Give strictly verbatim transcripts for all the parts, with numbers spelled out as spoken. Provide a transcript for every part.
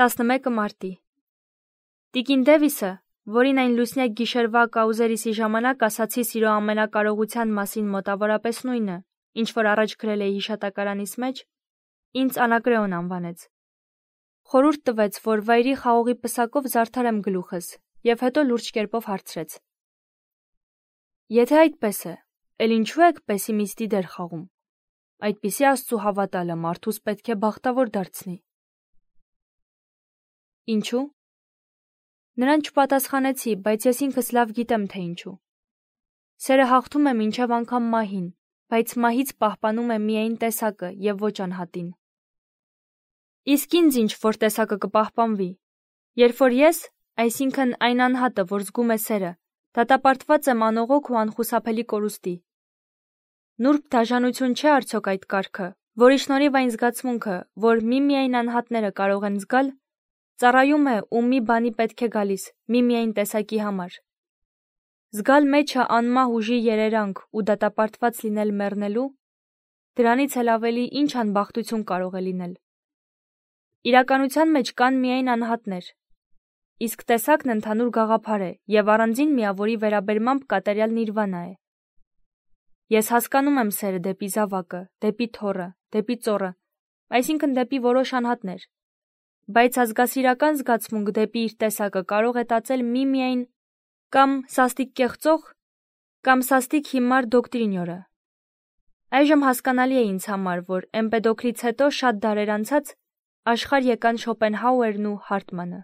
տասնմեկը մարտի Տիկին Դևիսը, որին այն լուսնյակ գիշերվա կաուզերիսի ժամանակ ասացի սիրո ամենակարողության մասին մոտավորապես նույնը, ինչ որ առաջ գրել էի հիշատակարանիս մեջ, ինձ Անակրեոն անվանեց։ Խորհուրդ տվեց, որ վայրի խաղողի պսակով զարդարեմ գլուխս, և հետո լուրջ կերպով հարցրեց. Եթե այդպես է, էլ ինչու եք պեսիմիստի դեր խաղում։ Այդպիսի Աստծու հավատալը մարդուս պետք է բախտավոր դարձնի։ Ինչու։ Նրան չպատասխանեցի, բայց ես ինքս լավ գիտեմ, թե ինչու։ Սերը հաղթում է մինչև անգամ մահին, բայց մահից պահպանում է միայն տեսակը և ոչ անհատին։ Իսկ ինձ ինչ որ տեսակը կպահպանվի, երբ որ ես, այսինքն այն անհատը, որ զգում է սերը, դատապարտված եմ անողոք ու անխուսափելի կորուստի։ Նուրբ դաժանություն չէ արդյոք այդ կարգը, որի շնորհիվ այն զգացմունքը, որ միմիայն անհատները կարող են զգալ, ծառայում է ու մի բանի պետք է գալիս, միմիայն տեսակի համար։ Զգալ մեջը անմահ ուժի երերանք ու դատապարտված լինել մեռնելու, դրանից էլ ավելի ինչ անբախտություն կարող է լինել։ Իրականության մեջ կան միայն անհատներ, իսկ տեսակն ընդհանուր գաղափար է և առանձին միավորի վերաբերմամբ կատարյալ նիրվանա է։ Ես հասկանում եմ սերը դեպի զավակը, դեպի թոռը, դեպի ծոռը, այսինքն դեպի որոշ անհատներ, բայց ազգասիրական զգացմունք դեպի իր տեսակը կարող է տածել միմիայն կամ սաստիկ կեղծող, կամ սաստիկ հիմար դոկտրինյորը։ Այժմ հասկանալի է ինձ համար, որ Էմպեդոքլից հետո շատ դարեր անցած աշխարհ եկան Շոպենհաուերն ու Հարտմանը։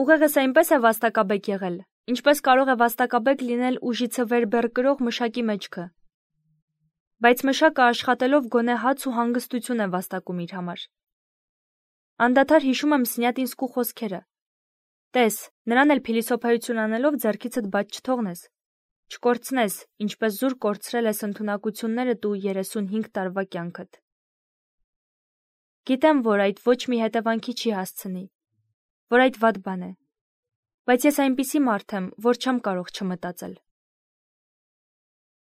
Ուղեղս այնպես է վաստակաբեկ եղել, ինչպես կարող է վաստակաբեկ լինել ուժիցը վեր բեռ կրող մշակի մեջքը։ Բայց մշակը աշխատելով գոնե հաց ու հանգստություն է վաստակում իր համար։ Անդադար հիշում եմ Սնյատինսկու խոսքերը. Տես, նրան էլ փիլիսոփայություն անելով ձեռքիցդ բաց չթողնես, չկորցնես, ինչպես զուր կորցրել ես ընդունակություններդ ու երեսունհինգ տարվա կյանքդ։ Գիտեմ, որ այդ ոչ մի հետևանքի չի հասցնի, որ այդ վատ բան է, բայց ես այնպիսի մարդ եմ, որ չեմ կարող չմտածել։